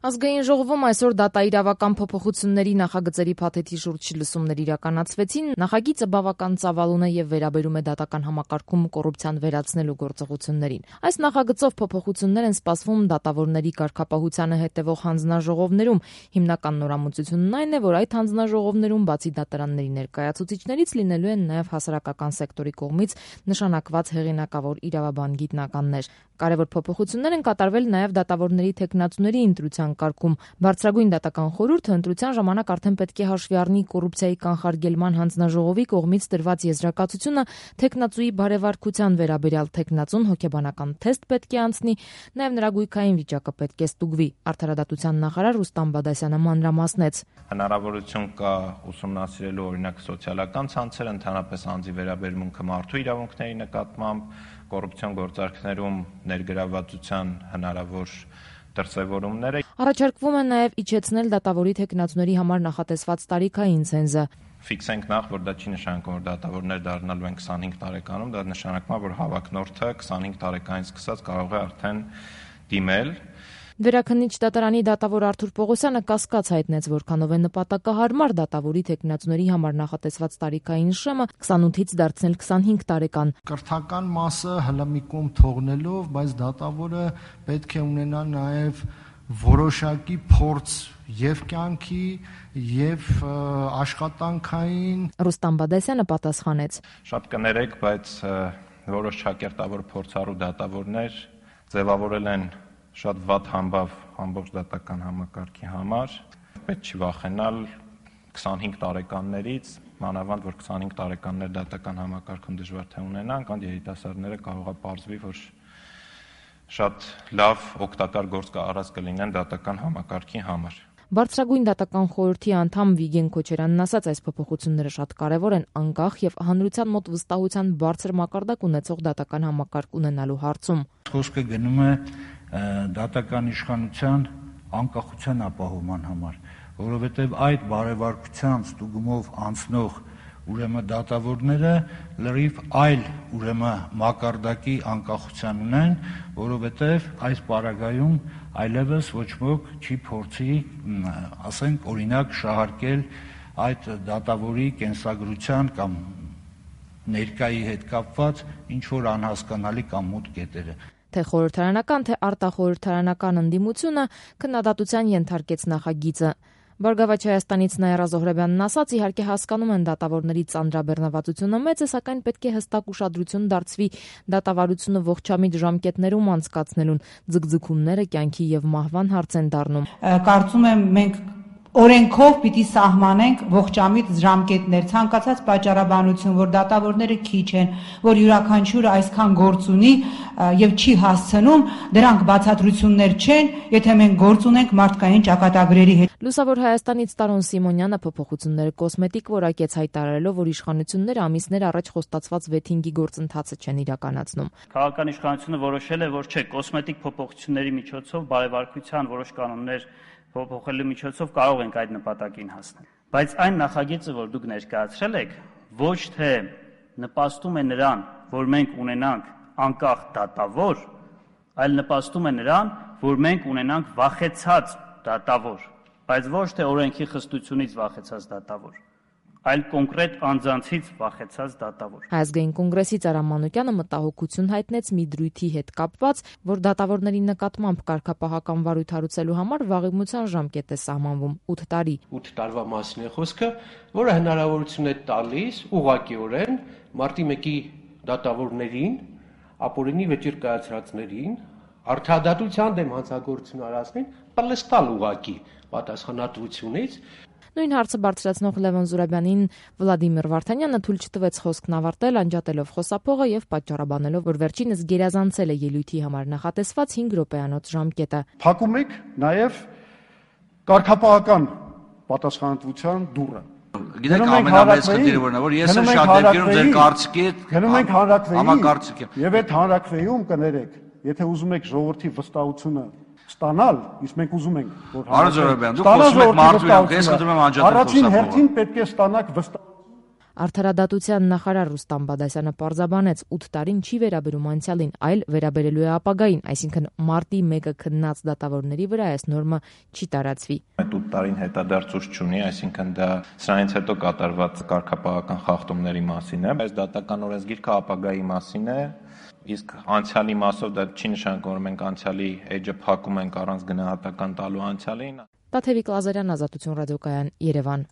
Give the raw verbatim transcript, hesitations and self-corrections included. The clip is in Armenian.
Ազգային ժողովում այսօր դատաիրավական փոփոխությունների նախագծերի փաթեթի շուրջ լսումներ իրականացվեցին։ Նախագիծը բավական ծավալուն է եւ վերաբերում է դատական համակարգում կոռուպցիան վերացնելու գործողություններին։ Այս նախագծով փոփոխություններ են սպասվում դատավորների կարգապահությանը հետևող հանձնաժողովներում։ Հիմնական նորամուծությունն այն է, որ այդ հանձնաժողովներում բացի դատարանների ներկայացուցիչներից լինելու են նաեւ հասարակական սեկտորի կողմից նշանակված հեղինակավոր իրավաբան գիտնականներ։ Կարևոր փոփոխություններ են կատարվել նաեւ դատավորների թեկնածուների ընտրության կարգում։ Բարձրագույն դատական խորհուրդը ընտրության ժամանակ արդեն պետք է հաշվի առնի կոռուպցիայի կանխարգելման հանձնաժողովի կողմից տրված եզրակացությունը թեկնածուի բարեվարքության վերաբերյալ թեկնածուն հոգեբանական թեստ պետք է անցնի, նաև նրա գույքային վիճակը պետք է ստուգվի։ Արդարադատության նախարար Ռուստամ Բադասյանը մանրամասնեց. Հնարավորություն կա ուսումնասիրելու օրինակ սոցիալական ցանցերը, ընդհանրապես անձի վերաբերմունքը մարդու իրավունքների նկատմամբ, կոռուպցիոն գործարքներում ներգրավվածության հնարավոր դրսևորումները։ Առաջարկվում է նաև իջեցնել դատավորի թեկնածուների համար նախատեսված տարիքային ցենզը։ Ֆիքսենք նախ, որ դա չի նշանակում, որ դատավորներ դառնալու են քսանհինգ տարեկանում, դա նշանակում է, որ հավակնորդը քսանհինգ տարեկանից սկսած կարող է արդեն դիմել։ Վերաքննիչ դատարանի դատավոր Արթուր Պողոսյանը կասկած հայտնեց, որքանով է նպատակահարմար դատավորի թեկնածուների համար նախատեսված տարիքային շեմը քսանութից դարձնել քսանհինգ տարեկան։ Կրթական մասը հլմիկում թողնելով, բայց դատավորը պետք է ունենա նաև որոշակի փորձ եւ կյանքի եւ աշխատանքային։ Ռուստամ Բադասյանը պատասխանեց. Շատ կներեք, բայց որոշ ճակերտավոր փորձառու դատավորներ ձևավորել են շատ վատ համբավ ամբողջ դատական համակարգի համար։ Պետք չի վախենալ քսանհինգ տարեկաններից, մանավանդ որ քսանհինգ տարեկաններ դատական համակարգում դժվար թե ունենան, կամ երիտասարդները կարող է պարզվի, որ շատ լավ օգտակար գործ կառած կլինեն դատական համակարգի համար։ Բարձրագույն դատական խորհրդի անդամ Վիգեն Քոչարյանն ասաց, այս փոփոխությունները շատ կարևոր են անկախ եւ հանրության մոտ վստահության բարձր մակարդակ ունեցող դատական համակարգ ունենալու հարցում։ Խոսքը գնում է դատական իշխանության անկախության ապահովման համար, որովհետև այդ բարեվարկության ստուգումով անցնող ուրեմն դատավորները լրիվ այլ ուրեմն մակարդակի անկախության ունեն, որովհետև այս պարագայում այլևս ոչ ոք չի փորձի, ասենք, օրինակ շահարկել այդ դատավորի կենսագրության կամ ներկայի հետ կապված ինչ որ անհասկանալի կամ մութ կետերը։ Թե խորհրդարանական, թե արտախորհրդարանական ընդդիմությունը քննադատության ենթարկեց նախագիծը։ Բարգավաճ Հայաստանից Նաիրա Զոհրաբյանն ասաց, իհարկե հասկանում են դատավորների ծանրաբեռնվածությունը մեծ է, սակայն պետք է հստակ ուշադրություն դարձվի դատավարությունը ողջամիտ ժամկետներում անցկացնելուն, ձգձգումները կյանքի եւ մահվան հարց են դառնում։ Կարծում եմ մենք օրենքով պիտի սահմանենք ողջամիտ ժամկետներ, ցանկացած պատճառաբանություն, որ դատավորները քիչ են, որ յուրաքանչյուրը այսքան գործ ունի եւ չի հասցնում, դրանք բացատրություններ չեն, եթե մենք գործ ունենք մարդկային ճակատագրերի հետ։ Լուսավոր Հայաստանից Տարոն Սիմոնյանը փոփոխությունները կոսմետիկ որակեց, հայտարարելով, որ իշխանությունները ամիսներ առաջ խոստացված վեթինգի գործընթացը չեն իրականացնում։ Քաղաքական իշխանությունը որոշել է, որ չէ, կոսմետիկ փոփոխությունների միջոցով բարեվարկության որոշ կանոններ փոփոխելու միջոցով կարող ենք այդ նպատակին հասնել։ Բայց այն նախագիծը, որ դուք ներկայացրել եք, ոչ թե նպաստում է նրան, որ մենք ունենանք անկախ դատավոր, այլ նպաստում է նրան, որ մենք ունենանք վախեցած դատավոր, բայց ոչ թե օրենքի խստությունից վախեցած դատավոր, այլ կոնկրետ անձանցից վախեցած դատավոր։ Ազգային կոնգրեսից Արամ Մանուկյանը մտահոգություն հայտնեց մի դրույթի հետ կապված, որ դատավորների նկատմամբ կարգապահական վարույթ հարուցելու համար վաղեմության ժամկետ է սահմանվում ութ տարի։ ութ տարվա մասին է խոսքը, որը հնարավորություն է տալիս ուղղակիորեն մարտի մեկի դատավորներին, ապօրինի վեճեր կայացրածներին, արդարադատության դեմ հանցագործություն արածներին պլստալ ուղղակի պատասխանատվությունից։ Նույն հարցը բարձրացնող Լևոն Զուրաբյանին Վլադիմիր Վարդանյանը թույլ չտվեց խոսքն ավարտել, անջատելով խոսափողը եւ պատճառաբանելով, որ վերջինս գերազանցել է ելույթի համար նախատեսված հինգ րոպեանոց ժամկետը։ Փակում եք նաեւ կարգապահական պատասխանատվության դուռը։ Գիտեք ամենամեծ խնդիրը որն է, որ ես էլ շատ դեպքերում ձեր կարծիքի հետ գնում ենք հանրակրվեին, համակարծիք եմ։ Եվ այդ հանրակրվեում կներեք, եթե ուզում եք ժողովրդի վստահությունը ստանալ, իսկ մենք ուզում ենք, որ Արոն Զոհրաբյան, դուք խոսում եք մարդու իրավունք, ես խնդրում եմ անջատել խոսափողը։ Առաջին հերթին պետք է ստանաք վստահություն։ Արդարադատության նախարար Ռուստամ Բադասյանը պարզաբանեց, ութ տարին չի վերաբերում անցյալին, այլ վերաբերելու է ապագային, այսինքն մարտի մեկը քննած դատավորների վրա այս նորմը չի տարածվի։ Այդ ութ տարին հետադարձուց չունի, այսինքն դա սրանից հետո կատարված կարգապահական խախտումների մասին է, բայց դատական օրենսգիրքը ապագայի մասին է, իսկ անցյալի մասով դա չի նշանակում, որ մենք անցյալի էջը փակում ենք առանց գնահատական տալու անցյալին։ Տաթևիկ Լազարյան, Ազատություն ռադիոկայան, Երևան։